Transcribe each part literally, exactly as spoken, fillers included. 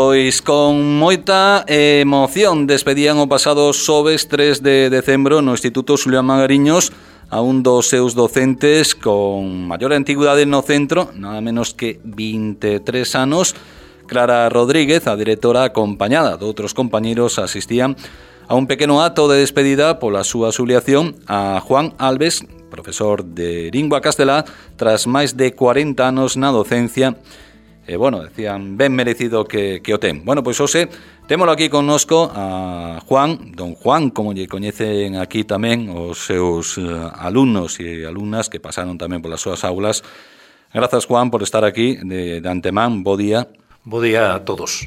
Pois con moita emoción despedían o pasado xoves tres de decembro no Instituto Xulián Magariños a un dos seus docentes con maior antigüidade no centro, nada menos que vinte e tres anos. Clara Rodríguez, a directora, acompañada de outros compañeros, asistían a un pequeno acto de despedida pola súa xubilación a Juan Alves, profesor de lingua castelá, tras máis de cuarenta anos na docencia. E, bueno, decían, ben merecido que, que o ten. Bueno, pois hoxe, témolo aquí connosco a Juan, don Juan, como lle coñecen aquí tamén os seus uh, alumnos e alumnas que pasaron tamén polas súas aulas. Grazas, Juan, por estar aquí de, de antemán. Bo día. Bo día a todos.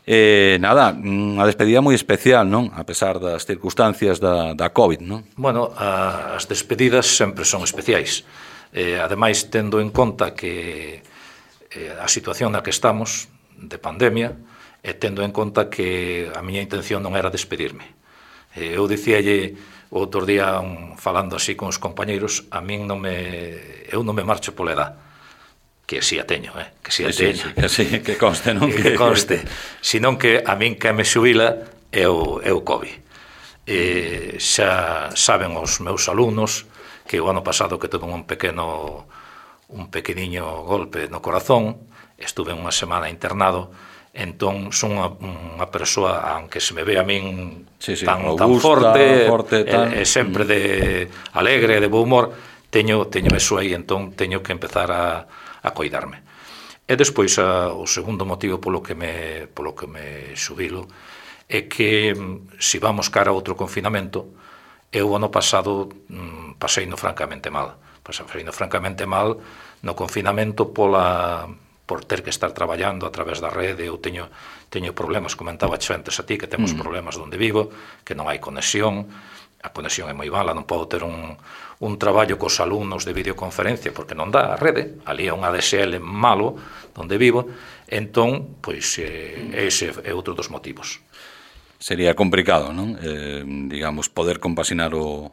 Eh, nada, unha despedida moi especial, non? A pesar das circunstancias da, da COVID, non? Bueno, a, as despedidas sempre son especiais. Eh, ademais, tendo en conta que a situación na que estamos de pandemia e tendo en conta que a miña intención non era despedirme. Eu dicíalle o outro día un, falando así con os compañeiros, a min non me eu non me marcho pola edad, que si a teño, eh? que si a sí, teño, sí, que, sí, que conste, non? que conste, senón que a min que me xubila é o, é o COVID. E xa saben os meus alumnos que o ano pasado que tuve un pequeno un pequeniño golpe no corazón, estuve unha semana internado, entón son unha, unha persoa, aunque se me ve a min sí, sí, tan, robusta, tan forte, forte tan... E, e sempre de alegre, de bo humor, teño, teño eso aí, entón teño que empezar a, a coidarme. E despois a, o segundo motivo polo que me, polo que me xubilo é que se vamos cara a outro confinamento, eu ano pasado mm, pasei no francamente mal. Pasei no francamente mal no confinamento pola, por ter que estar traballando a través da rede. Eu teño, teño problemas, comentaba antes a ti que temos mm. problemas onde vivo, que non hai conexión, a conexión é moi mala, non podo ter un, un traballo cos alumnos de videoconferencia porque non dá a rede, ali é un A D S L malo onde vivo, entón, pois, eh, ese é outro dos motivos. Sería complicado, non? Eh, digamos, poder compaxinar o,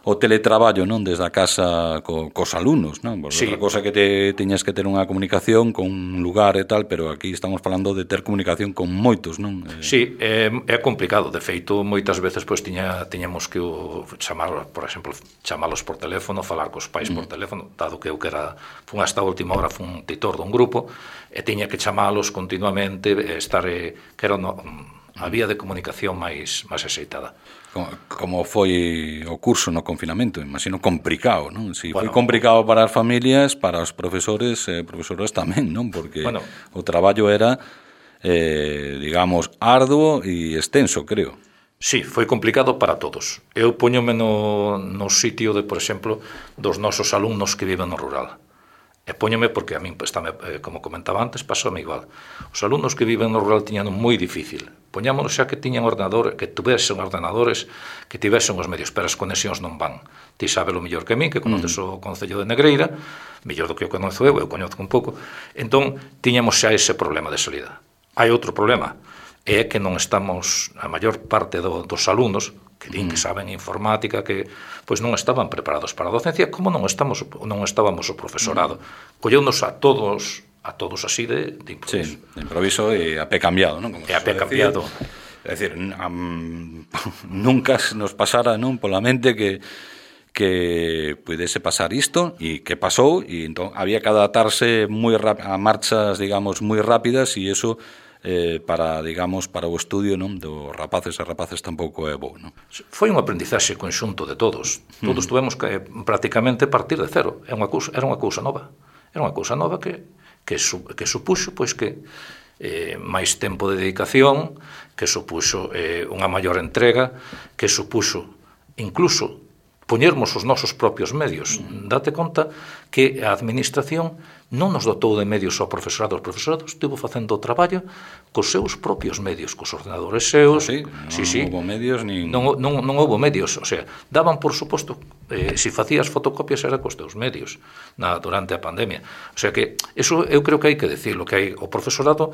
o teletraballo, non? Desde a casa co, cos alumnos, non? Porque sí. Outra cosa que te teñas que ter unha comunicación con un lugar e tal, pero aquí estamos falando de ter comunicación con moitos, non? Eh... Sí, é, é complicado. De feito, moitas veces pois tiña, tiñamos que o, chamar, por exemplo, chamalos por teléfono, falar cos pais mm. por teléfono, dado que eu que era, fun hasta a última hora, fun titor dun grupo, e tiña que chamalos continuamente, estar, eh, que era no, a vía de comunicación máis máis axeitada. Como, como foi o curso no confinamento? Imagino complicado, non? Si bueno, foi complicado para as familias, para os profesores e eh, profesoras tamén, non? Porque bueno, o traballo era, eh, digamos, arduo e extenso, creo. Sí, foi complicado para todos. Eu poñome no, no sitio de, por exemplo, dos nosos alumnos que viven no rural. E póñome porque a min, pues, tamén, eh, como comentaba antes, pasoume igual. Os alumnos que viven no rural tiñan moi difícil. Poñámonos xa que tiñan ordenador, que tuvesen ordenadores, que tivesen os medios, pero as conexións non van. Ti sabes o mellor que min, que conoces mm. o Concello de Negreira, mellor do que o conozo eu, eu coñozo un pouco. Entón, tiñamos xa ese problema de salida. Hai outro problema, é que non estamos, a maior parte do, dos alumnos, que din que saben informática, que pois non estaban preparados para a docencia, como non estamos non estábamos o profesorado. Colleunos a todos a todos así de, de improviso. Sí, de improviso e a pé cambiado, non? Como e a pé cambiado. É dicir, um, nunca nos pasara, non, pola mente que que pudese pasar isto e que pasou, e entón había que adaptarse moi rap- a marchas, digamos, moi rápidas, e iso Eh, para, digamos, para o estudio, non, dos rapaces e rapaces tampouco é bo, non? Foi un aprendizaxe conxunto de todos. Todos mm. tuvemos que prácticamente partir de cero. Era unha cousa, era unha cousa nova. Era unha cousa nova que que, su, que supuxo pois que eh, máis tempo de dedicación, que supuxo eh, unha maior entrega, que supuxo incluso poñermos os nosos propios medios. Mm. Date conta que a administración non nos dotou de medios ao profesorado. O profesorado estivo facendo o traballo cos seus propios medios, cos ordenadores seus. Ah, sí? Non sí, sí. houve medios nin... Non, non, non houve medios, o sea, daban por suposto, eh, se facías fotocopias era cos teus medios na, durante a pandemia. O sea que, eso eu creo que hai que decirlo, que hai o profesorado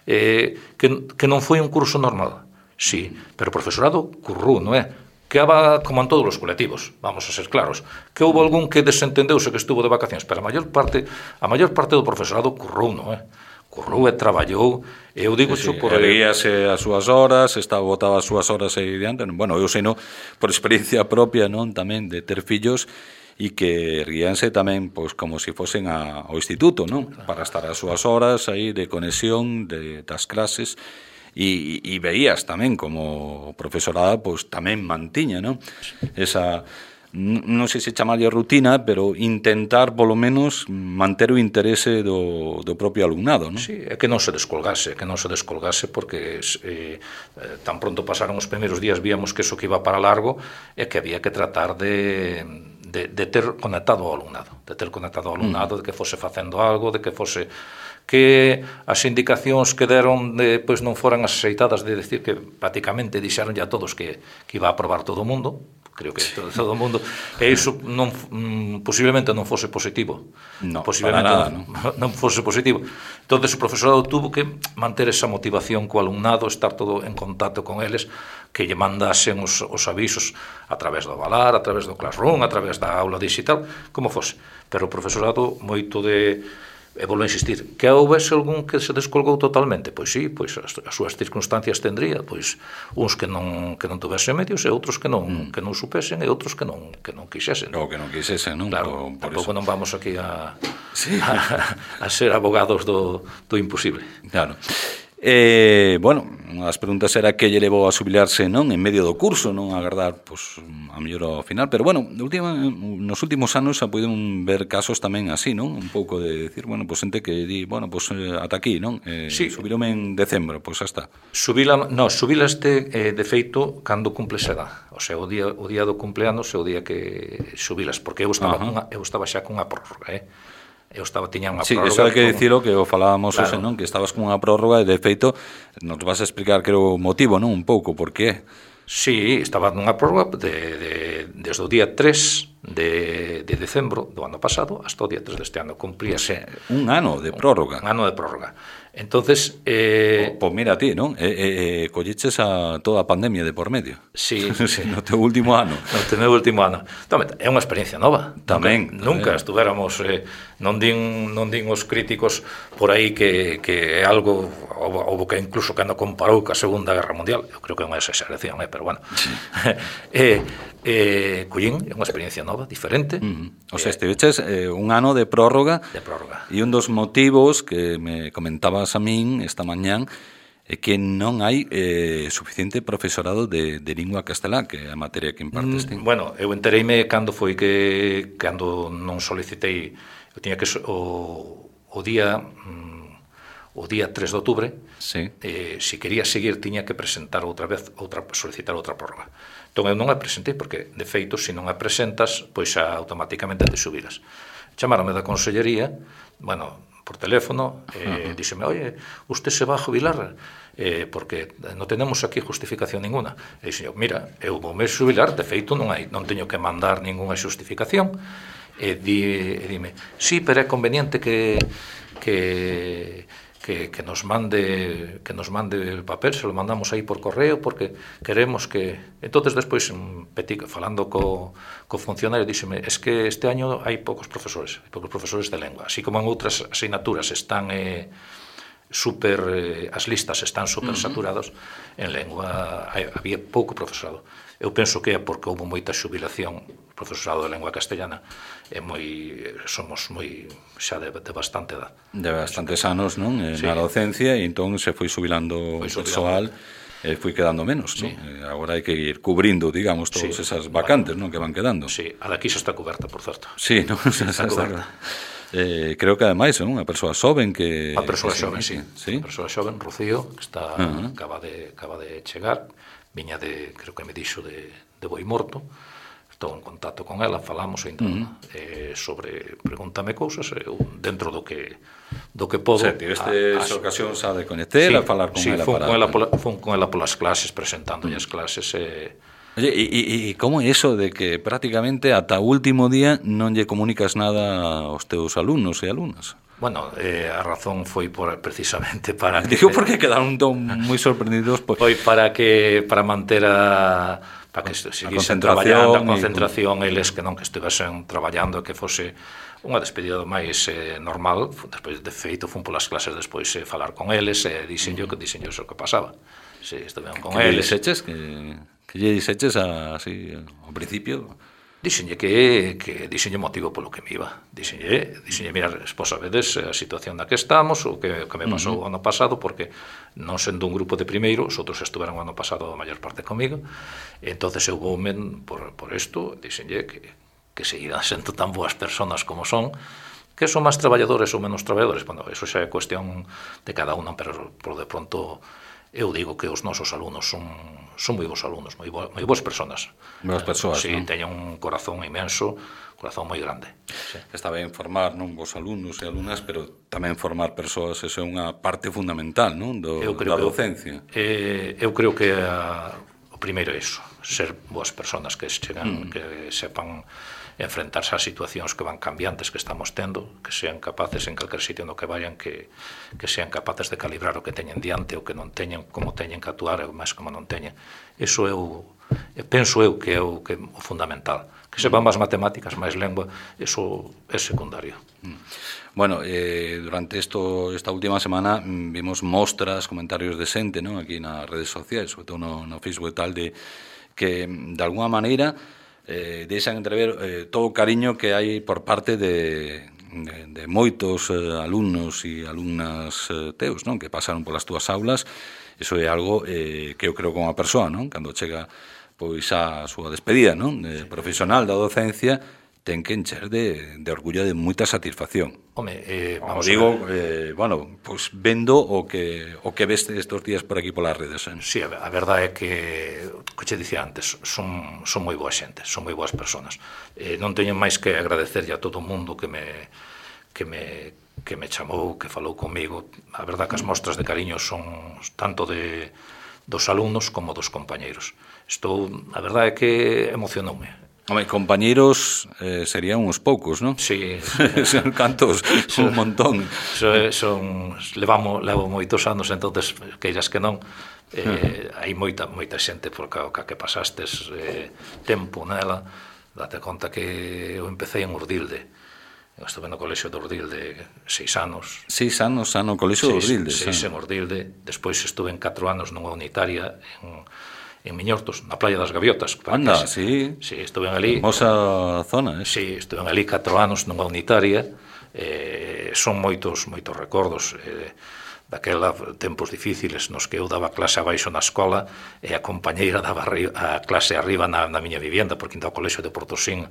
eh, que, que non foi un curso normal, sí, pero o profesorado currú, non é? Que haba, como en todos os colectivos, vamos a ser claros, que houve algún que desentendeuse que estuvo de vacacións, pero a maior parte, a maior parte do profesorado currou, non é? correu e traballou, eu digo sí, sí, por... erguíase as súas horas, estaba botaba as súas horas aí diante, bueno, eu sei, no, por experiencia propia, non, tamén, de ter fillos, e que erguíanse tamén pois como se si fosen a, ao instituto, non? Claro. Para estar as súas horas aí de conexión de, das clases e, e veías tamén como profesorada pois tamén mantiña, non? Esa, non sei se chamarlle rutina, pero intentar polo menos manter o interese do, do propio alumnado, non? Sí, é que non se descolgase, que non se descolgase porque eh, tan pronto pasaron os primeiros días víamos que eso que iba para largo e que había que tratar de De, de ter conectado ao alumnado, de ter conectado ao alumnado, mm. de que fose facendo algo, de que fose que as indicacións que deron de, pois non foran as aceitadas, de decir que prácticamente dixeron ya todos que, que iba a aprobar todo o mundo, creo que sí. todo, todo o mundo, e iso non, mm, posiblemente non fose positivo, no, posiblemente nada, non, no. non fose positivo. Entonces o profesorado tuvo que manter esa motivación co alumnado, estar todo en contacto con eles, que lle mandasen os, os avisos a través do Valar, a través do Classroom, a través da aula digital, como fose. Pero o profesorado moito de... E volvo a insistir, que houvese algún que se descolgou totalmente? Pois sí, pois as, as súas circunstancias tendría, pois uns que non que non tuvesen medios e outros que non mm. que non supesen e outros que non que non quixesen. Ou que non quixesen, non? Claro, por, por tampouco eso. Non vamos aquí a, sí. a a ser abogados do do imposible. Claro. Eh, bueno, as preguntas era que lle levou a xubilarse, non, en medio do curso, non agardar, pois, a mellor ao final, pero bueno, última, nos últimos anos se poden ver casos tamén así, non, un pouco de decir, bueno, pois xente que di, bueno, pois ata aquí, non, eh, sí. Subilome en decembro, pois xa está. Subila, no, subilaste eh, de feito cando cumples edad, o sea, o día, o día do cumpleanos é o día que subilas, porque eu estaba, cunha, eu estaba xa cunha prórroga, eh, eu estaba tiña unha sí, prórroga. Sí, iso hai que dicilo, que o falábamos claro. Ose, non? Que estabas con unha prórroga e de feito nos vas a explicar que era o motivo, non? Un pouco, por qué? Sí, estaba nunha prórroga de, de, desde o día tres de, de decembro do ano pasado hasta o día tres deste ano. Cumplíase un ano de prórroga. Un ano de prórroga. Entonces, eh... Pois pues mira a ti, non? Eh, eh, colliches a toda a pandemia de por medio. Sí, sí. No teu último ano. No teu último ano. Tamén, é unha experiencia nova. Tamén. Nunca, nunca estuvéramos, eh, non din non din os críticos por aí que, que é algo, ou que incluso que non comparou ca Segunda Guerra Mundial. Eu creo que é unha exageración, eh, pero bueno. Sí. eh, eh, collín, é unha experiencia nova, diferente. Uh-huh. O sea, estiveches eh, un ano de prórroga. De prórroga. E un dos motivos que me comentabas a min esta mañán é que non hai eh, suficiente profesorado de, de lingua castelá, que é a materia que impartes ti. Mm, bueno, eu entereime cando foi que cando non solicitei, eu tiña que o, o día mm, o día tres de outubro, sí. eh, se quería seguir tiña que presentar outra vez, outra solicitar outra prórroga. Entón eu non a presentei porque de feito se non a presentas, pois xa automáticamente te subiras. Chamáronme da consellería, bueno, por teléfono, eh, uh-huh. díxeme, oye, usted se va a jubilar, eh, porque non tenemos aquí justificación ninguna. E dixen, mira, eu vou me jubilar, de feito non hai, non teño que mandar ninguna justificación. E, di, e dime, sí, pero é conveniente que que que, que nos mande que nos mande el papel, se lo mandamos aí por correo porque queremos que... Entonces despois falando co, co funcionario díxeme, es que este año hai poucos profesores, hai poucos profesores de lengua, así como en outras asignaturas están eh, super, eh, as listas están super uh-huh. saturados, en lengua hai, había pouco profesorado. Eu penso que é porque houve moita xubilación profesorado de lengua castellana e moi somos moi xa de, de bastante edad. De bastantes anos, non? En sí. a docencia e entón se foi xubilando o persoal e foi quedando menos, sí. non? Agora hai que ir cubrindo, digamos, todas sí. esas vacantes, non, que van quedando. Sí, a daqui xa está coberta, por certo. Sí, non? Xa está, está coberta. Eh, creo que ademais, non? Unha persoa xoven que... Unha persoa que xoven, sí. sí. Unha persoa xoven, Rocío, que está uh-huh. acaba de acaba de chegar, viña de, creo que me dixo de de Boimorto. Estou en contacto con ela, falamos e entón, uh-huh. eh, sobre pregúntame cousas, eu dentro do que do que podo. Sí, tiveste esa ocasión xa de coñecela, sí, falar con sí, ela fun para... con ela pola, fun con ela polas clases, presentándolle uh-huh. as clases e... Oye, e, e, e como é iso de que prácticamente ata o último día non lle comunicas nada aos teus alumnos e alumnas? Bueno, eh, a razón foi por, precisamente para... Digo porque quedaron moi sorprendidos. Por... Foi para que para manter a... para que seguisen traballando a concentración, y... eles que non que estivesen traballando, que fose unha despedida máis eh, normal, despois de feito fun polas clases despois eh, falar con eles e dixenllo que dixenllo o que pasaba. Si, estuveron con que eles. Que lle dixeches que que lle dixeches así ao principio? Dixenlle que, que dixenlle motivo polo que me iba. Dixenlle, dixenlle, mira, vos sabedes a situación na que estamos, o que, que me pasou uh-huh. o ano pasado, porque non sendo un grupo de primeiro, os outros estuveron o ano pasado a maior parte comigo, e entonces eu voume por, por isto, dixenlle que, que seguirán sendo tan boas personas como son, que son máis traballadores ou menos traballadores. Bueno, eso xa é cuestión de cada unha, pero por de pronto eu digo que os nosos alumnos son, son moi bons alumnos, moi, bo, moi boas personas. Boas persoas, sí, non? teñen un corazón inmenso, un corazón moi grande. Sí. Está ben formar, non, vos alumnos e alumnas, pero tamén formar persoas, eso é unha parte fundamental, non, do, da docencia. Que, eh, eu creo que a, o primeiro é iso, ser boas personas que chegan, mm. que sepan enfrentarse ás situacións que van cambiantes que estamos tendo, que sean capaces en calquer sitio no que vayan, que, que sean capaces de calibrar o que teñen diante, o que non teñen, como teñen que actuar, e máis como non teñen. Iso eu, penso eu que é o, que, o fundamental. Que sepan máis matemáticas, máis lengua, iso é secundario. Bueno, eh, durante esto, esta última semana vimos mostras, comentarios de xente, ¿no? Aquí nas redes sociais, sobre todo no, no Facebook e tal, de que de alguna maneira eh, deixan entrever eh, todo o cariño que hai por parte de, de, de moitos eh, alumnos e alumnas eh, teus, non? Que pasaron polas túas aulas. Iso é algo eh, que eu creo como a persoa, non? Cando chega pois a súa despedida, non? De profesional da docencia, ten que encher de, de orgullo, de moita satisfacción. Home, eh, vamos o digo, eh, bueno, pois pues vendo o que o que ves estes días por aquí polas redes. Eh? Sí, a, a verdade é que, que che dicía antes, son, son moi boa xente, son moi boas personas. Eh, non teño máis que agradecerlle a todo o mundo que me, que me, que me chamou, que falou comigo. A verdade que as mostras de cariño son tanto de, dos alumnos como dos compañeiros. Estou, a verdade é que emocionoume. Home, compañeiros eh, serían uns poucos, non? Sí. Son cantos, son un montón. Son, son, levamos, levo moitos anos, entonces, queiras que non, eh, hai moita, moita xente por ca, ca que pasastes eh, tempo nela. Date conta que eu empecé en Urdilde. Eu estuve no colexio de Urdilde seis anos. Seis anos no colexio de Urdilde. Seis, seis en Urdilde. Despois estuve en catro anos nunha unitaria en... en Miñortos, na Playa das Gaviotas. Anda, sí. Sí, estuve ali. Hermosa zona, eh? Sí, estuve ali catro anos nunha unitaria. Eh, son moitos, moitos recordos eh, daquela tempos difíciles nos que eu daba clase abaixo na escola e a compañeira daba a clase arriba na, na miña vivienda, porque ainda o colexio de Portosín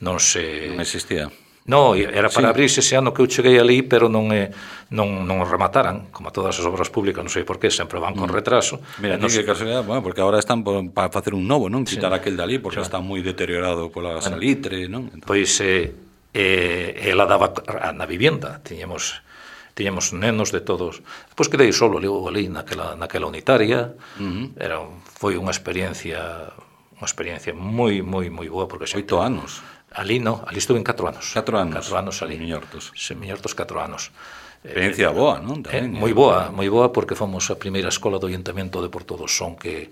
non se... Non existía. No, era para sí. abrirse ese ano que eu cheguei ali, pero non eh, non, non remataran, como todas as obras públicas, non sei por qué, sempre van con retraso. Mira, non que casualidade, bueno, porque agora están por, para facer un novo, non? Quitar sí. aquel de ali, porque sí. está moi deteriorado pola bueno, salitre, non? Entonces... Pois eh, eh, ela daba na vivienda, tiñamos tiñamos nenos de todos. Pois quedei solo ali, ali naquela, naquela unitaria, uh-huh. era, foi unha experiencia unha experiencia moi, moi, moi boa, porque xa... Oito anos. Ali no, ali estuve en catro anos. Catro anos. Catro anos ali. En Miñortos. En Miñortos, catro anos. Experiencia eh, boa, non? Eh, moi boa, moi boa, porque fomos a primeira escola do Ayuntamento de Porto do Son que,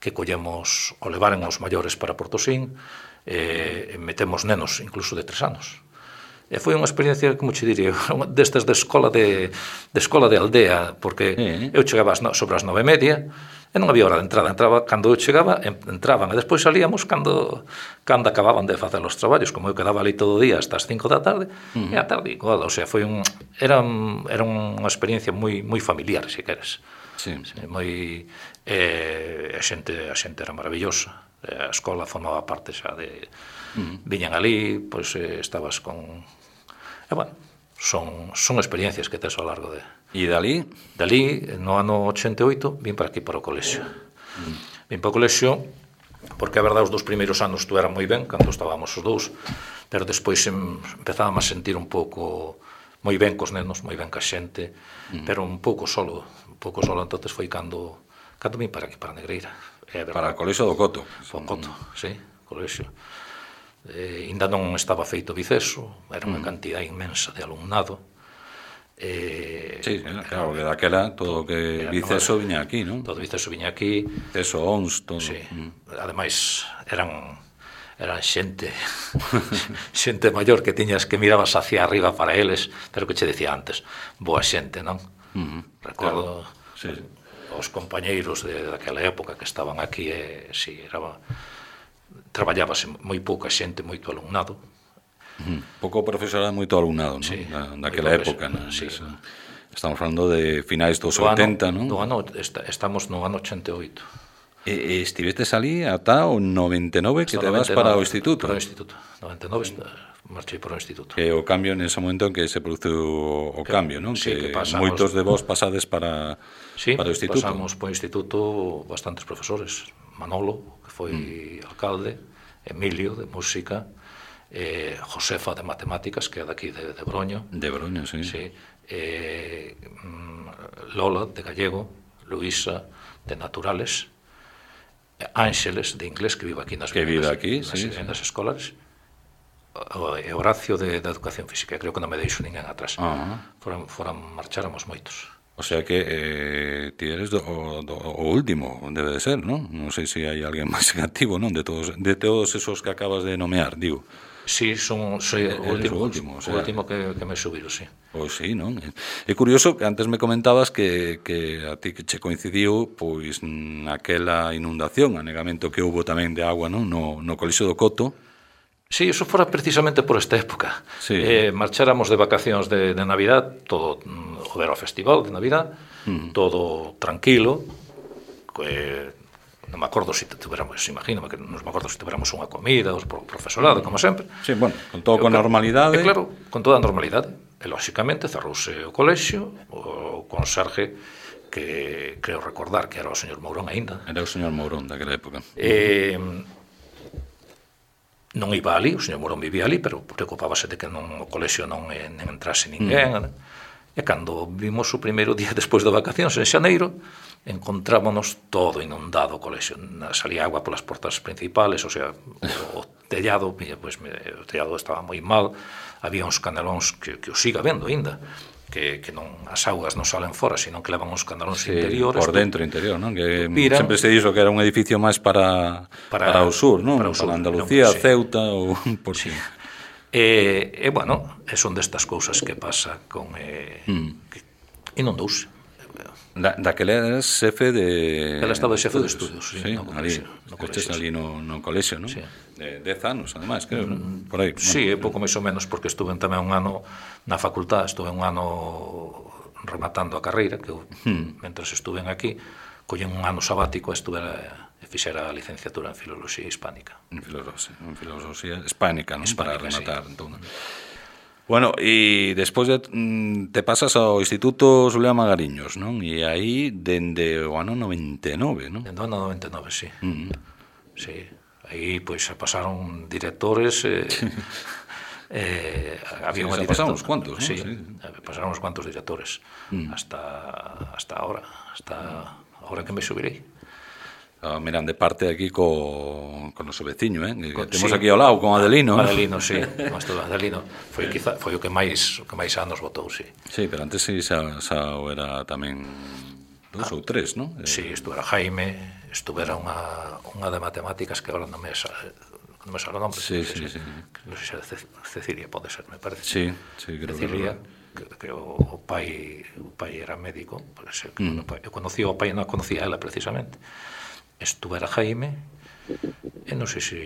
que collemos, o levaran os maiores para Portosín, eh, metemos nenos, incluso de tres anos. E foi unha experiencia, como che diría, destas de escola de, de escola de aldea, porque eh. eu chegaba sobre as nove e media, e non había hora de entrada, entraba cando eu chegaba, entraban, e despois salíamos cando, cando acababan de facer os traballos, como eu quedaba ali todo o día hasta as cinco da tarde, uh-huh. e a tarde igual, o sea, foi un, era, era unha experiencia moi, moi familiar, se queres. Sí. Sí, moi, eh, a xente, a xente era maravillosa, a escola formaba parte xa de, uh-huh. viñan ali, pois eh, estabas con, e bueno, son, son experiencias que tes ao largo de... E dali? Dali, no ano ochenta e oito, vim para aquí, para o colexio. Mm. Vim para o colexio, porque a verdade, os dous primeiros anos tú era moi ben, cando estábamos os dous, pero despois empezábamos a sentir un pouco moi ben cos nenos, moi ben ca xente, mm. pero un pouco solo, un pouco solo, entonces foi cando, cando vim para aquí, para Negreira. É para o colexio do Coto. O Coto, sí, colexio. Eh, ainda non estaba feito Viceso, era unha mm. cantidad inmensa de alumnado. Eh, sí, claro, que daquela todo o que Viceso viña aquí, non? Todo Viceso viña aquí. Viceso, O N S, todo. Sí, mm. ademais eran eran xente xente maior que tiñas que mirabas hacia arriba para eles, pero que che decía antes, boa xente, non? Uh-huh. Recordo claro. Sí. Os compañeiros de daquela época que estaban aquí, e si era traballábase moi pouca xente, moito alumnado. Uh-huh. Pouco profesorado, moito alumnado, non? Sí, da, daquela época, non? Sí. Estamos falando de finais dos do oitenta, non? Do ano, estamos no ano ochenta e oito. E, e estivestes ali ata o noventa e nove que te vas para o instituto? Para o instituto, noventa e nove marchei para o instituto. Que o cambio nese momento en que se produce o que, cambio, non? Sí, que, que pasamos, moitos de vos pasades para, sí, para o instituto. Sí, pasamos para o instituto bastantes profesores. Manolo, que foi mm. alcalde, Emilio, de música, eh, Josefa, de matemáticas, que é daqui de, de Broño. De Broño, sí. Sí. Eh, Lola, de gallego, Luisa, de naturales, Ángeles, de inglés, que vive aquí nas, que vive aquí, nas, sí, nas sí. escolas, e Horacio, de, de educación física. Creo que non me deixo ninguén atrás. Uh-huh. Foran, foran marcháramos moitos. O sea que eh, ti eres do, do, o último, debe de ser, non? Non sei se hai alguén máis activo, non? De todos, de todos esos que acabas de nomear, digo. Sí, son, soy o último, o último, o sea, o último que, que me subido, sí. Pois sí, non? É curioso que antes me comentabas que, que a ti que che coincidiu pois naquela inundación, anegamento que houbo tamén de agua, non? No, no Colexio do Coto. Sí, eso fora precisamente por esta época. Sí. Eh, marcháramos de vacacións de, de Navidad, todo o ver o festival de Navidad, uh-huh. todo tranquilo, que non me acordo se si tuveramos, imagino que non me acordo se si tuveramos unha comida, os profesorado, como sempre. Sí, bueno, con todo con normalidade. E claro, con toda a normalidade. E, lóxicamente, cerrouse o colexio, o conserje, que creo recordar que era o señor Mourón aínda. Era o señor Mourón daquela época. E non iba ali, o señor Mourón vivía ali, pero preocupábase de que non, o colexio non, non entrase ninguén. Mm. E cando vimos o primeiro día despois de vacacións, en xaneiro, encontrámonos todo inundado o colexio. Salía agua polas portas principales, o sea, o, o tellado, pues, o tellado estaba moi mal, había uns canelóns que, que o siga vendo aínda, que, que non as augas non salen fora, sino que levan uns canelóns sí, interiores. Por dentro, interior, non? Que piran, sempre se dixo que era un edificio máis para, para, para o sur, non? Para, o sur, para Andalucía, non, sí. Ceuta ou por sí. E, e, bueno, son destas cousas que pasa con... Eh, mm. que inundouse. Da, daquela eras xefe de... Ela estaba xefe de estudios, sí, sí, no colexio. No colexio, ali no, no colexio, non? Sí. De dez anos, ademais, creo, mm, por aí. Sí, bueno, pouco máis ou menos, porque estuve tamén un ano na facultad, estuve un ano rematando a carreira, que eu, mm. mentras estuve aquí, collen un ano sabático e estuve e fixera a licenciatura en Filoloxía Hispánica. En Filoloxía, en Filoloxía Hispánica, non? Para rematar, sí. Entón. Bueno, e despois de, te pasas ao Instituto Xulián Magariños, non? E aí, dende o ano noventa e nove, non? Dende o ano noventa e nove, sí. Mm. Sí, aí, pois, se pasaron directores... Eh, eh, había sí, pasaron uns cuantos, sí, ¿no? Sí, pasaron uns cuantos directores, mm. hasta, hasta ahora, hasta ahora que me subirei. Ah, miran de parte aquí co, con o noso veciño, eh? Con, temos sí, aquí ao lado, con Adelino. Adelino, sí, con Adelino. Foi, quizá, foi o que máis o que máis anos votou, sí. Sí, pero antes sí, xa, xa era tamén dous ah, ou tres, non? Sí, estuvera Jaime, estuvera unha, unha de matemáticas que agora non me sale, non me sale o nombre. Sí, sí, sí. Non sei se Cecilia pode ser, me parece. Sí, sí, creo Cecilia, que, que o, o pai o pai era médico, pode ser que mm. eu conocí o pai, non conocía a ela precisamente. Estuvera Jaime e non sei se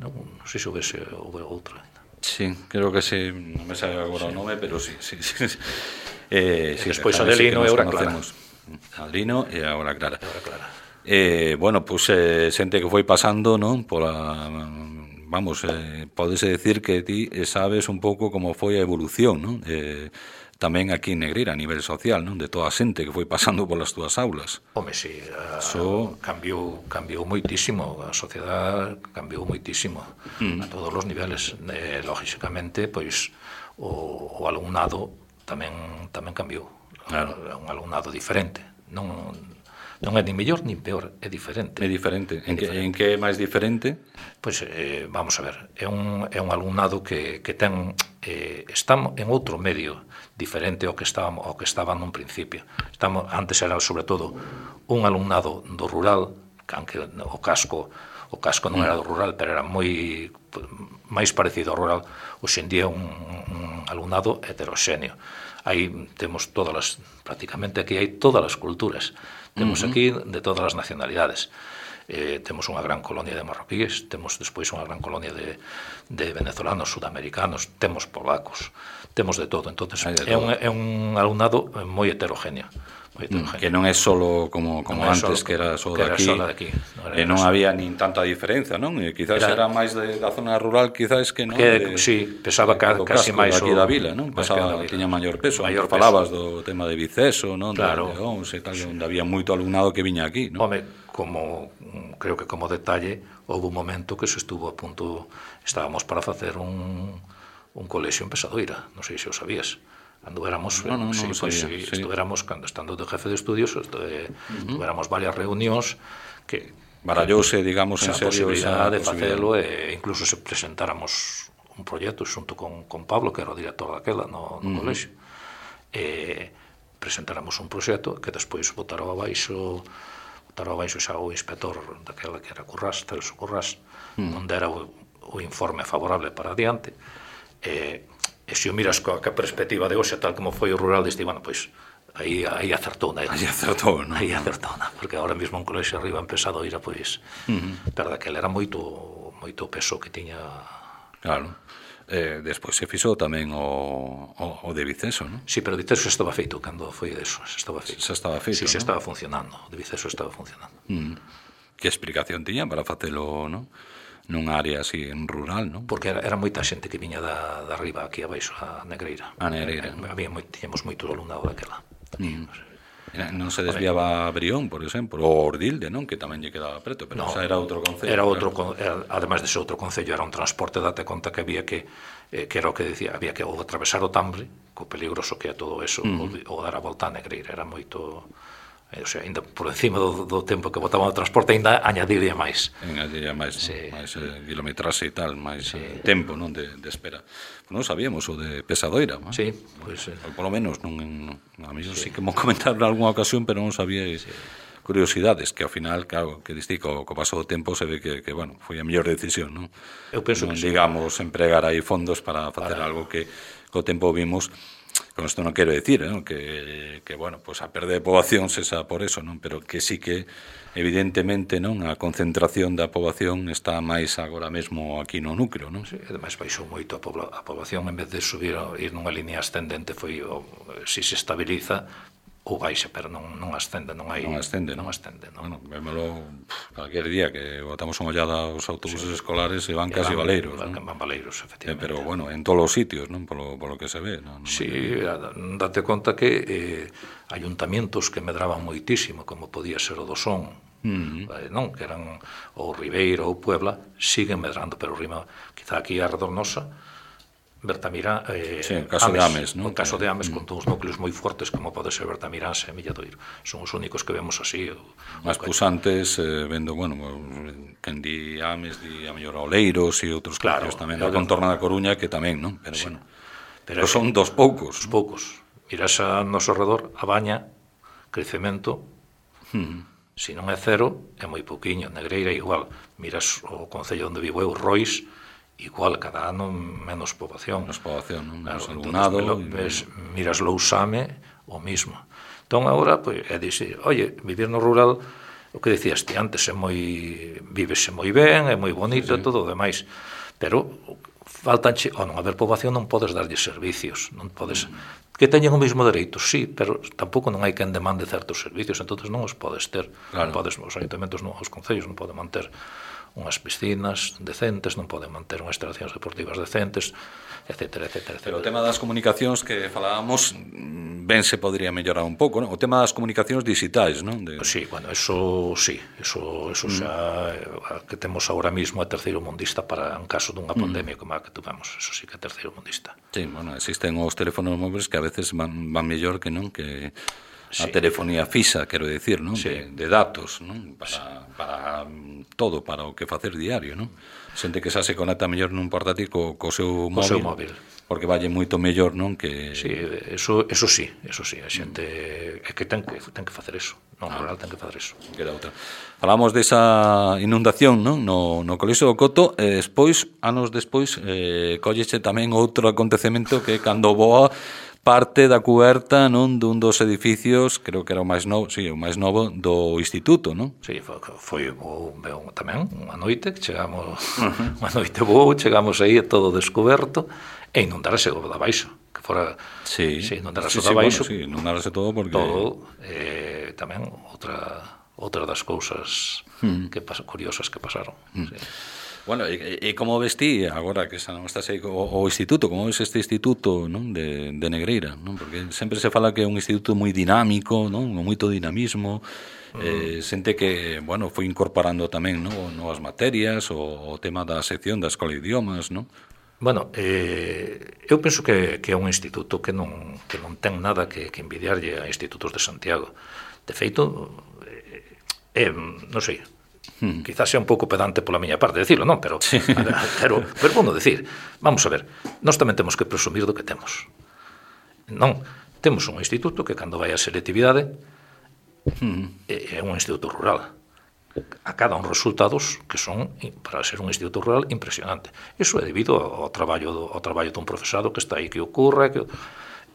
non, non sei se houvese outra. Sí, creo que sí, non me sabe agora sí. O nome, pero sí, sí, sí. Eh, sí, despois Adelino e Aura Clara. Adelino e Aura Clara. Aura Clara. Eh, bueno, pues eh, xente que foi pasando, non, pola vamos, eh, pódese decir que ti sabes un pouco como foi a evolución, non? Eh, tamén aquí en Negreira, a nivel social, non? De toda a xente que foi pasando polas túas aulas. Home, si, sí, so... cambiou, cambiou moitísimo, a sociedade cambiou moitísimo, mm. a todos os niveles. Eh, lógicamente, pois, o, o alumnado tamén tamén cambiou. Claro. É un alumnado diferente. Non, non é ni mellor ni peor, é diferente. É diferente. É en, diferente. Que, en que é máis diferente? Pois, eh, vamos a ver, é un, é un alumnado que, que ten, eh, está en outro medio diferente ao que estaba, ao que estaba nun principio. Estamos, antes era, sobre todo, un alumnado do rural, aunque o casco o casco non era do rural, pero era moi máis parecido ao rural. Hoxe en día un, un alumnado heteroxéneo. Aí temos todas as, prácticamente aquí hai todas as culturas. Temos uh-huh. aquí de todas as nacionalidades. Eh, temos unha gran colonia de marroquíes, temos despois unha gran colonia de, de venezolanos, sudamericanos, temos polacos, temos de todo. Entonces, de é, todo. Un, é un alumnado moi heterogéneo. Que non é solo como, como non antes, solo, que era só de aquí, de aquí. Non e non había nin tanta diferencia, non? E quizás era, era máis de, da zona rural, quizás que non. Que, de, sí, pesaba ca, casi máis aquí da vila, non? Pesaba, tiña maior peso. Maior falabas do tema de Viceso, non? Claro. De León, e tal, sí. Onde había moito alumnado que viña aquí, non? Home, como creo que como detalle, houve un momento que se estuvo a punto, estábamos para facer un, un colexio en Pesadoira, non sei se o sabías. Cando éramos, no, no, no, sí, no pues, sabía, sí, sí. Estuéramos, cando estando de jefe de estudios, estuve, uh-huh. tuéramos varias reunións que barallouse, digamos, en serio posibilidad de facelo e incluso se presentáramos un proxecto xunto con, con Pablo, que era o director daquela no, no uh-huh. colexio, e presentáramos un proxecto que despois botaron abaixo botaron abaixo xa o inspector daquela que era Currás, Celso Currás, uh-huh. onde era o, o informe favorable para adiante. E E se o miras coa perspectiva de hoxe, tal como foi o rural, diste, bueno, pois, aí, aí acertou, né? Aí acertou, non? Aí acertou, non? Porque agora mesmo un colexio arriba en Pesadoira, pois, uh-huh. pero daquela era moito, moito peso que tiña... Claro. Eh, despois se fixou tamén o, o, o de Viceso, non? Sí, pero o de Viceso xa estaba feito, cando foi deso, xa estaba feito. Xa estaba feito, sí, xa non? estaba funcionando, o de Viceso estaba funcionando. Uh-huh. Que explicación tiña para facelo, non? Nunha área así en rural, non? Porque era, era moita xente que viña da, da arriba aquí abaixo, a Negreira. A Negreira. Eh, había moi, tiñamos moito alumnado daquela. Mm. Non se desviaba a Brión, por exemplo, ou Ordilde, non? Que tamén lle quedaba preto, pero no, xa era outro concello. Era outro, claro. Era, ademais de ser outro concello, era un transporte, date conta que había que, eh, que era o que decía, había que ou atravesar o Tambre, co peligroso que é todo eso, mm. ou, ou dar a volta a Negreira, era moito... O sea, ainda por encima do, do tempo que botaban o transporte, ainda añadiría máis. Añadiría máis, sí. ¿no? máis eh, kilometraxe e tal, máis sí. eh, tempo, non, de, de espera. Non sabíamos o de Pesadoira, ¿no? Sí, pois... Pues, eh. Por lo menos, non, a mí sí. sí que mo comentaron en algunha ocasión, pero non sabía sí. curiosidades, que ao final, claro, que diste, co, co paso do tempo se ve que, que bueno, foi a mellor decisión, non? Eu penso non, que digamos, sí. empregar aí fondos para facer para... algo que co tempo vimos. Con isto non quero dicir, ¿no? que, que bueno, pues a perda de poboación cesa por eso, non? Pero que sí que evidentemente, non, a concentración da poboación está máis agora mesmo aquí no núcleo, non? Sí, ademais baixou moito a, pobla, a poboación, en vez de subir ir nunha línea ascendente, foi o, si se estabiliza ou baixa, pero non, non ascende, non hai... Non ascende, non ascende, non. Bueno, vémolo calquer día que botamos unha ollada aos autobuses sí. escolares e van e casi van, valeiros, van, non? Van valeiros, efectivamente. Eh, pero, bueno, en todos os sitios, non? Polo, polo que se ve, non? Sí, date conta que eh, ayuntamientos que medraban moitísimo, como podía ser o do Son, uh-huh. eh, non? Que eran o Ribeiro ou Puebla, siguen medrando, pero rima, quizá aquí a Redornosa, Bertamirán, eh, sí, en caso Ames, de Ames, ¿no? En caso de Ames, mm. con todos os núcleos moi fortes como pode ser Bertamirán e Milladoiro. Son os únicos que vemos así. Mas pusantes, eh, vendo, bueno, quen di Ames, di a mellor Oleiros e outros claro, claro, tamén da contorna da Coruña, que tamén, non? Pero sí. bueno, pero, pero son dos poucos. Dos poucos. Miras a noso redor, a Baña, crecemento, mm. se non é cero, é moi pouquiño. Negreira igual. Miras o concello onde vivo eu, Rois, igual, cada ano menos poboación. Menos poboación, non? Menos claro, alumnado. Entonces, ves, miras Lousame, o mismo. Entón, agora, pues, é dicir, oye, vivir no rural, o que dicías ti antes, é moi, vívese moi ben, é moi bonito, sí, sí. E todo o demais, pero faltanche, ao non haber poboación non podes darlle servicios, non podes... Mm. Que teñen o mesmo dereito, sí, pero tampouco non hai quen demande certos servicios, entonces non os podes ter. Claro. Non podes, os ayuntamentos, non, os concellos non poden manter unhas piscinas decentes, non poden manter unhas instalacións deportivas decentes, etcétera, etcétera, etcétera. Pero o tema das comunicacións que falábamos, ben se podría mellorar un pouco, non? O tema das comunicacións digitais, non? De... Sí, bueno, eso sí, eso, eso mm. xa que temos agora mismo é terceiro mundista para en caso dunha pandemia mm. como a que tuvemos, eso sí que é terceiro mundista. Sí, bueno, existen os teléfonos móviles que a veces van, van mellor que non, que sí. A telefonía fixa, quero dicir, non? Sí. De, de datos, non? Para, sí. para todo, para o que facer diario, non? Xente que xa se conecta mellor nun portátil co, co seu móvil, seu móvil, porque valle moito mellor, non? Que... Sí, eso, eso sí, eso sí, a xente é que ten que, ten que facer eso, non, ah. rural ten que facer eso. Queda outra. Falamos desa inundación, non? No, no Colexio do Coto, e despois, anos despois, eh, colleche tamén outro acontecemento que cando voa parte da cuberta, non, dun dos edificios, creo que era o máis novo, sí, o máis novo do instituto, non? Sí, foi, foi bo, bo, tamén unha noite que chegamos, uh-huh. unha noite boa, chegamos aí todo descoberto e inundarase o da baixo, que fora, sí, sí inundarase sí, o da baixo. Bueno, sí, inundarase todo porque todo, eh, tamén outra outra das cousas uh-huh. que pas, curiosas que pasaron. Uh-huh. Sí. Bueno, e, e como ves ti, agora que xa non estás aí o, o instituto, como ves este instituto, non, de, de Negreira, non? Porque sempre se fala que é un instituto moi dinámico, non? Con moito dinamismo, mm. eh, xente que, bueno, foi incorporando tamén, non, novas materias, o, o tema da sección da Escola de Idiomas, non? Bueno, eh, eu penso que, que é un instituto que non, que non ten nada que, que envidiarlle a institutos de Santiago. De feito, eh, eh, non sei, Hmm. quizás sea un pouco pedante pola miña parte decirlo, non? Pero, sí. pero, pero bueno, decir, vamos a ver, nós tamén temos que presumir do que temos. Non, temos un instituto que cando vai a selectividade hmm. é un instituto rural. Acada uns resultados que son, para ser un instituto rural, impresionante. Iso é debido ao traballo, ao traballo dun profesado que está aí, que ocurre, que...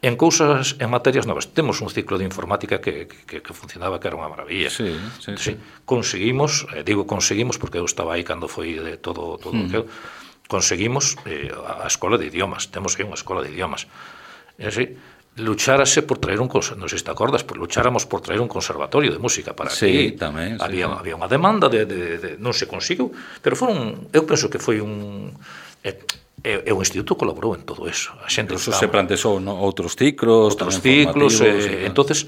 En cousas, en materias novas, temos un ciclo de informática que, que, que funcionaba, que era unha maravilla. Sí, sí, sí. sí. Conseguimos, eh, digo conseguimos porque eu estaba aí cando foi de todo, todo mm. que conseguimos eh, a escola de idiomas, temos aí unha escola de idiomas. É así, luchárase por traer un, non sei se te acordas, por lucháramos por traer un conservatorio de música para sí, aquí. Tamén, sí, había, sí. había unha demanda de, de, de, non se conseguiu, pero foron, eu penso que foi un... Eh, E, e o instituto colaborou en todo eso. A xente Incluso se plantexou, no, outros ciclos, outros ciclos, e, entonces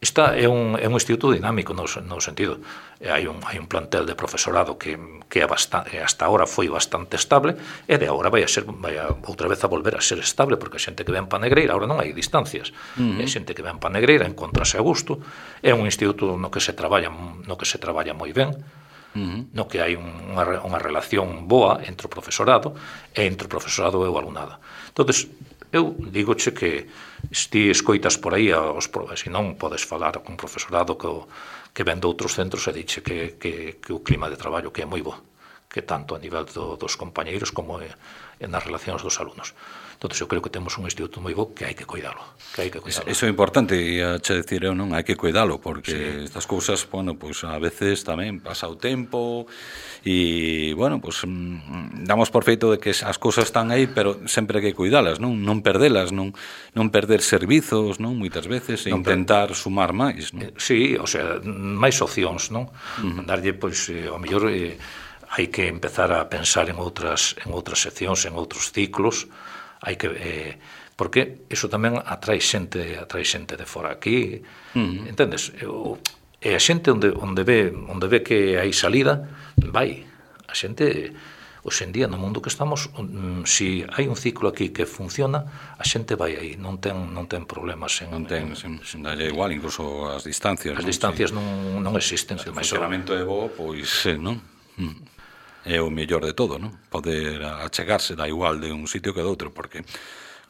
esta é un, é un instituto dinámico no, no sentido. E hai un, hai un plantel de profesorado que, que é bastante, hasta ahora foi bastante estable, e de agora vai a ser, vai a, outra vez a volver a ser estable, porque a xente que ven pa Negreira, agora non hai distancias, uh-huh. e a xente que ven pa Negreira encontrase a gusto, é un instituto no que se traballa, no que se traballa moi ben, Uh-huh. no que hai unha, unha relación boa entre o profesorado e entre o profesorado e o alumnado. Entonces, eu digoche que se ti escoitas por aí aos, se non podes falar con profesorado que, que ven de outros centros e diche que, que, que o clima de traballo que é moi bo, que tanto a nivel do, dos compañeiros como é, é nas relacións dos alumnos. Entón, eu creo que temos un instituto moi bo que hai que cuidalo, que hai que cuidalo. Eso é importante, e a che decir eu, non, hai que cuidalo, porque sí. estas cousas, bueno, pois pues, a veces tamén pasa o tempo e, bueno, pois pues, damos por feito de que as cousas están aí, pero sempre hai que cuidalas, non, non perdelas, non, non perder servizos, non, moitas veces, e non intentar per... sumar máis, non? Sí, o sea, máis opcións, non? Uh-huh. Darlle, pois, eh, ao mellor eh, hai que empezar a pensar en outras en outras seccións, en outros ciclos. Hai que eh, porque iso tamén atrae xente, atrae xente de fora aquí, uh-huh. entendes? O, e a xente onde onde ve, onde ve que hai salida, vai. A xente hoxe en día no mundo que estamos, um, si hai un ciclo aquí que funciona, a xente vai aí, non ten non ten problemas en non ten, en, sen dalle igual, incluso as distancias. As non? distancias sí. non non existen, se o funcionamento é bo, pois, eh, non? Mm. É o mellor de todo, non? Poder achegarse da igual de un sitio que de outro, porque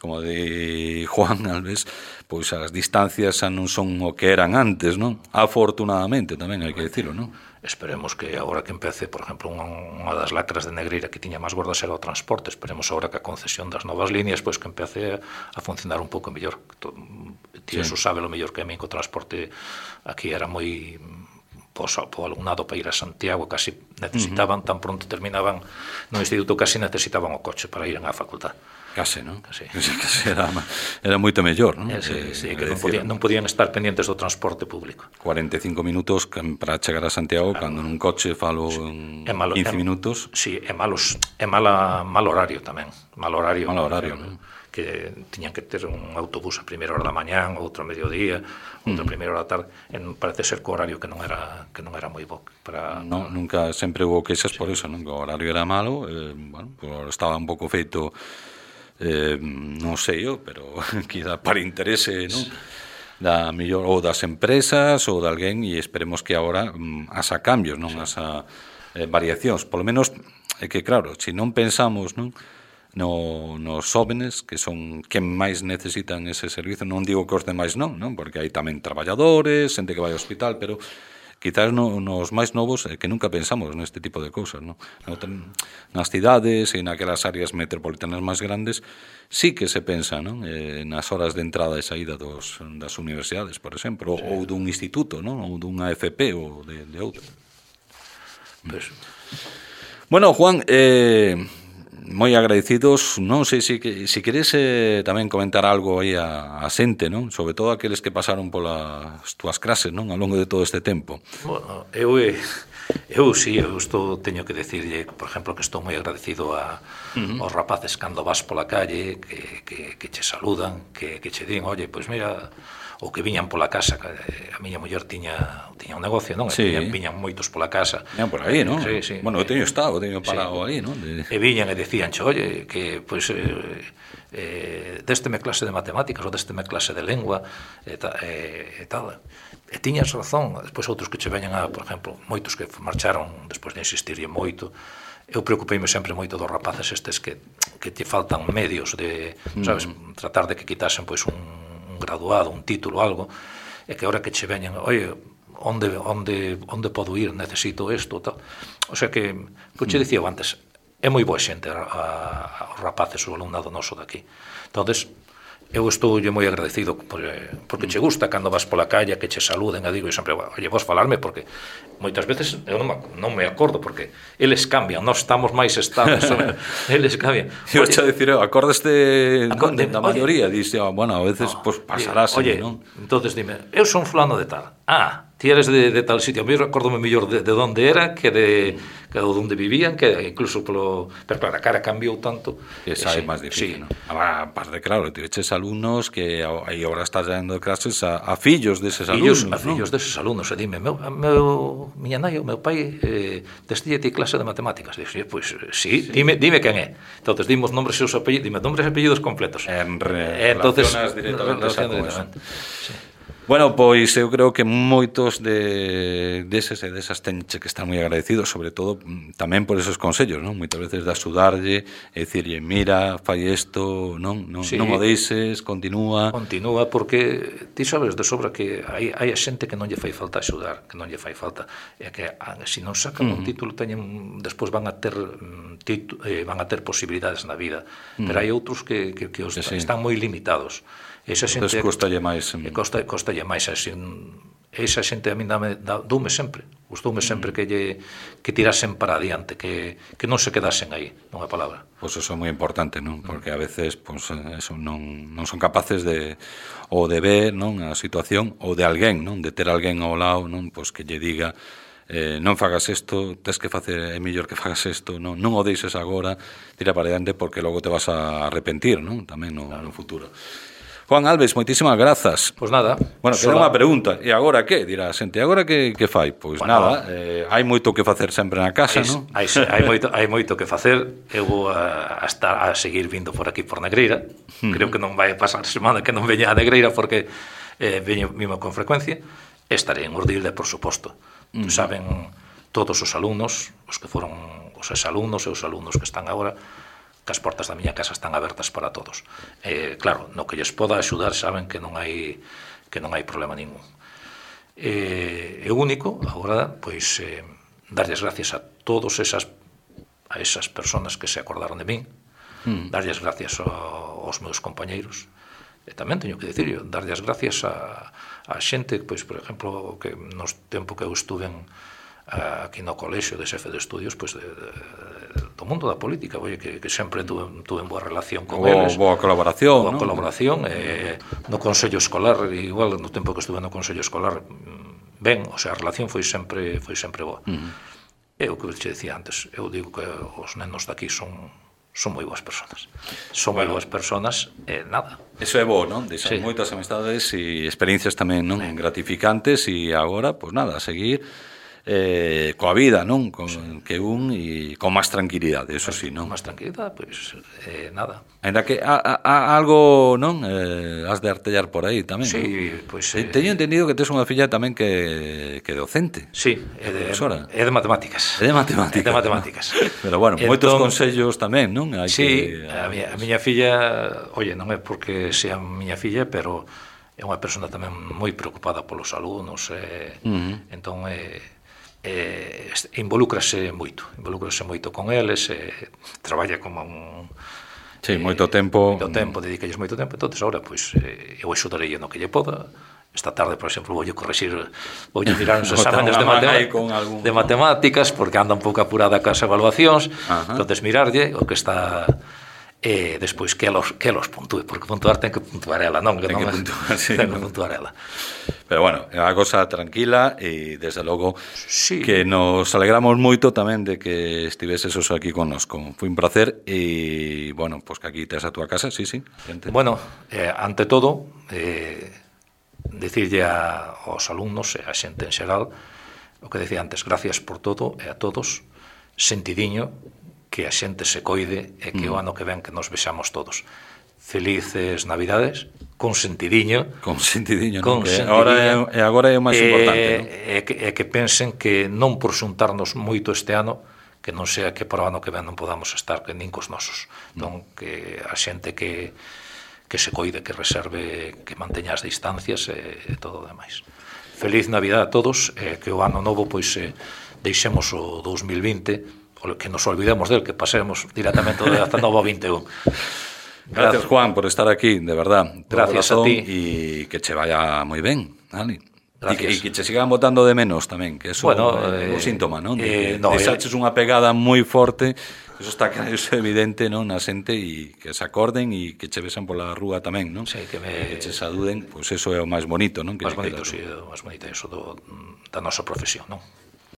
como de Juan Alves, pois as distancias xa non son o que eran antes, non? Afortunadamente, tamén hai que dicilo, non? Esperemos que agora que empece, por exemplo, unha, unha das lacras de Negreira que tiña máis gordas era o transporte, esperemos agora que a concesión das novas líneas pois que empece a, a funcionar un pouco mellor. Ti sí. Eso sabe lo mellor que a mí co transporte aquí era moi... Pois, o alumnado para ir a Santiago casi necesitaban, uh-huh. tan pronto terminaban no instituto, casi necesitaban o coche para ir á facultad. Case, non? Casi. Casi era, era moito mellor, non? Eh, sí, sí, que non podían, non podían estar pendientes do transporte público. cuarenta e cinco minutos para chegar a Santiago, claro. Cando nun coche falo en é malo, quince é, minutos. Sí, é malos, é mala, mal horario tamén. Mal horario. Mal horario, non? Que tiñan que ter un autobús a primeira hora da mañán, outro a mediodía, outro a primeira hora da tarde, en, parece ser que o horario que non era que non era moi bo para no, nunca sempre hubo queixas sí. Por eso, non? Que o horario era malo, eh, bueno, pues estaba un pouco feito eh, non sei eu, pero quizá para interese, non? da millor ou das empresas ou de alguén, e esperemos que agora mm, asa cambios, non? Sí. Asa eh, variacións. Polo menos é que, claro, se non pensamos, non? No, nos jóvenes que son quen máis necesitan ese servizo, non digo que os demais non, non, porque hai tamén traballadores, xente que vai ao hospital, pero quizás no, nos máis novos eh, que nunca pensamos neste tipo de cousas, non? Nas cidades e naquelas áreas metropolitanas máis grandes sí que se pensa, non? Eh, nas horas de entrada e saída dos, das universidades, por exemplo, sí. ou dun instituto, non? Ou dunha F P ou de, de outra. Pues. Bueno, Juan, eh, moi agradecidos, non sei se si, si queres eh, tamén comentar algo aí a, a xente, non? Sobre todo aqueles que pasaron polas túas clases, non? Ao longo de todo este tempo. Bueno, eu eu si, eu estou, teño que decirlle, por exemplo, que estou moi agradecido a, uh-huh. aos rapaces cando vas pola calle, que, que, que che saludan, que, que che din, oye, pois mira, ou que viñan pola casa, que a miña muller tiña tiña un negocio, non? Sí. E viñan moitos pola casa. Viñan por aí, non? Sí, sí. Bueno, eu teño estado, teño parado sí. aí, non? De... E viñan e decían, oye, que, pois, eh, eh, désteme clase de matemáticas ou désteme clase de lengua, e, ta, e, e tal. E tiñas razón. Despois outros que che veñan a, por exemplo, moitos que marcharon despois de insistirlle moito. Eu preocupeime sempre moito dos rapaces estes que, que te faltan medios de, mm. sabes, tratar de que quitasen, pois, un un graduado, un título, algo, e que ahora que che veñan, oye, onde, onde, onde podo ir, necesito isto, tal. O sea que, que che dicía antes, é moi boa xente a, a, aos rapaces, o alumnado noso daqui. Entonces, eu estou moi agradecido porque, porque che gusta cando vas pola calle que che saluden, e digo, e sempre, oye, vos falarme, porque moitas veces eu non me, non me acordo, porque eles cambian, nós estamos máis estables, eles cambian. Eu che dicir, acordes de, de, da maioría, dixe, oh, bueno, a veces no, pues, pasarás, oye, non? Entonces dime, eu son fulano de tal, ah, ti eres de, de tal sitio, a mí recordome mellor de, de onde era que de, que de onde vivían, que incluso polo... Pero claro, a cara cambiou tanto. Esa é máis difícil, sí. Non? Agora, aparte, claro, tiveches alumnos que aí agora estás dando clases a, a fillos deses fillos, alumnos, a fillos ¿no? deses alumnos, e dime, meu, meu, miña nai, o meu pai, eh, destille ti clase de matemáticas. Dixe, pois, pues, sí, sí. Dime, dime quen é. Entonces, dimos nombres e os apellidos, dime nombres e apellidos completos. En re, eh, entonces, relacionas directamente relacionas directamente. Sí. Bueno, pois eu creo que moitos de deses e desas tenche que estar moi agradecidos, sobre todo tamén por esos consellos, non? Moitas veces de axudarlle e dicirlle, mira, fai isto, non, non, sí. non o deixes, continúa. Continúa, porque ti sabes de sobra que hai, hai a xente que non lle fai falta axudar, que non lle fai falta, e que se non sacan uh-huh. un título, teñen, despois van a ter titu, eh, van a ter posibilidades na vida, uh-huh. pero hai outros que, que, que os, sí. están moi limitados. Esa xente Entonces costalle máis costa, costalle máis así, esa xente a mí dame, doume sempre gustoume sempre que lle que tirasen para adiante, que, que non se quedasen aí, nunha palabra. Pois pues eso é moi importante, non? Porque a veces pues, eso non, non son capaces de ou de ver, non, a situación ou de alguén, non, de ter alguén ao lado, non, pois pues, que lle diga eh, non fagas isto, tes que facer, é mellor que fagas isto, non, non o deixes agora, tira para adiante porque logo te vas a arrepentir, non? Tamén no, claro. no futuro. Juan Alves, moitísimas grazas. Pois nada. Bueno, queda unha pregunta. E agora que? Dirá a xente, agora que, que fai? Pois bueno, nada, eh, hai moito que facer sempre na casa, non? Hai, hai, moito, hai moito que facer. Eu vou a, a, estar, a seguir vindo por aquí por Negreira. Uh-huh. Creo que non vai pasar semana que non veña a Negreira porque eh, veño mimo con frecuencia. Estarei en Urdilde, por suposto. Uh-huh. Saben todos os alumnos, os que foron os exalumnos e os alumnos que están agora, que as portas da miña casa están abertas para todos. Eh, claro, no que lles poda axudar saben que non hai que non hai problema ningún. Eh, é único, agora, pois, eh, darlles gracias a todos esas a esas personas que se acordaron de min, mm. darlles gracias aos meus compañeiros, e tamén teño que dicirlo, darlles gracias a, a xente, pois, por exemplo, que nos tempo que eu estuve en aquí no colexio de xefe de estudios, pois, de, de, do mundo da política, oye, que, que sempre tuve, tuve boa relación con boa, eles, boa colaboración, boa ¿no? colaboración, eh, no Consello Escolar, igual no tempo que estuve no Consello Escolar, ben, o sea, a relación foi sempre foi sempre boa. Uh-huh. É o que che dicía antes, eu digo que os nenos daqui son son moi boas persoas. Son bueno, moi boas persoas e nada. Eso é bo, non? Deixan sí. moitas amistades e experiencias tamén, non? Sí. Gratificantes, e agora, pois pues nada, a seguir. eh, coa vida, non? Con, sí. Que un e con máis tranquilidade, eso sí, non? Con máis tranquilidade, pois, eh, nada. Ainda que a, a, a algo, non? Eh, has de artellar por aí tamén, sí, non? Pois, eh, Teño entendido que tes unha filla tamén que, que docente. Sí, é de, é de matemáticas. É de matemáticas. É de matemáticas. ¿No? Pero bueno, entón, moitos consellos tamén, non? Hai sí, que, a, miña, a miña filla, oye, non é porque sea miña filla, pero é unha persona tamén moi preocupada polos alumnos, eh, uh-huh. entón eh, eh, involúcrase moito, involúcrase moito con eles, eh, traballa como un... Sí, moito tempo. Moito tempo, dedicalles moito tempo, entonces agora, pois, eh, eu axudarei no que lle poda. Esta tarde, por exemplo, voulle corrixir, voulle mirar uns exámenes de, matemáticas, algún... de matemáticas, porque anda un pouco apurada cas evaluacións, uh-huh. entonces mirarlle o que está... E despois que los, que los puntúe, porque puntuar ten que puntuar ela, non? Que ten non que puntuar, sí, ten no. que puntuar ela. Pero bueno, é unha cosa tranquila e desde logo sí. que nos alegramos moito tamén de que estiveses aquí connosco. Foi un placer e, bueno, pois pues que aquí tes a túa casa, sí, sí. Gente. Bueno, eh, ante todo, eh, dicirlle a, aos alumnos e a xente en xeral o que decía antes, gracias por todo e a todos, sentidiño, que a xente se coide e que mm. o ano que ven que nos vexamos todos. Felices Navidades, con sentidiño. Con sentidiño, con non? Sentidiño. Agora é, agora é o máis e, importante, non? E que, e que pensen que non por xuntarnos moito este ano, que non sea que para o ano que ven non podamos estar que nin cos nosos. Mm. Non, que a xente que, que se coide, que reserve, que manteña as distancias e, e todo o demais. Feliz Navidad a todos, e que o ano novo, pois, eh, deixemos o dous mil vinte, que nos olvidemos del, que pasemos directamente de hasta novo vinte e un. Gracias, Juan, por estar aquí, de verdad. Gracias a ti. E que che vaya moi ben, Ali. E que, que che sigan botando de menos tamén, que eso bueno, é un eh, síntoma, non? De, eh, no, de saches unha pegada moi forte, eso está claro, eso é evidente, non? Na xente e que se acorden e que che besan pola rúa tamén, non? Sí, que me... que che saluden, pois pues eso é o máis bonito, non? Que máis bonito, sí, o máis bonito, eso do, da nosa profesión, non?